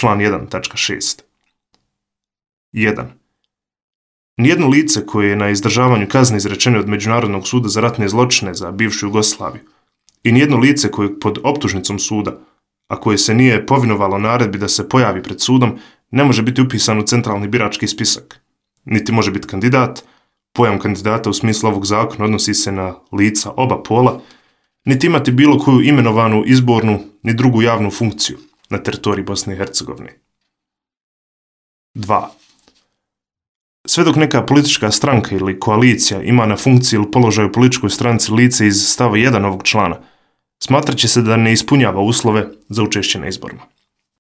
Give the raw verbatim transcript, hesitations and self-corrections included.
član jedan tačka šest. jedan. Nijedno lice koje je na izdržavanju kazne izrečene od Međunarodnog suda za ratne zločine za bivšu Jugoslaviju i nijedno lice koje pod optužnicom suda, a koje se nije povinovalo naredbi da se pojavi pred sudom, ne može biti upisan u centralni birački spisak. Niti može biti kandidat, pojam kandidata u smislu ovog zakona odnosi se na lica oba pola, niti imati bilo koju imenovanu izbornu ni drugu javnu funkciju na teritoriji Bosne i Hercegovine. dva. Sve dok neka politička stranka ili koalicija ima na funkciji ili položaju političkoj stranci lice iz stava jedan ovog člana, smatrat će se da ne ispunjava uslove za učešće na izborima.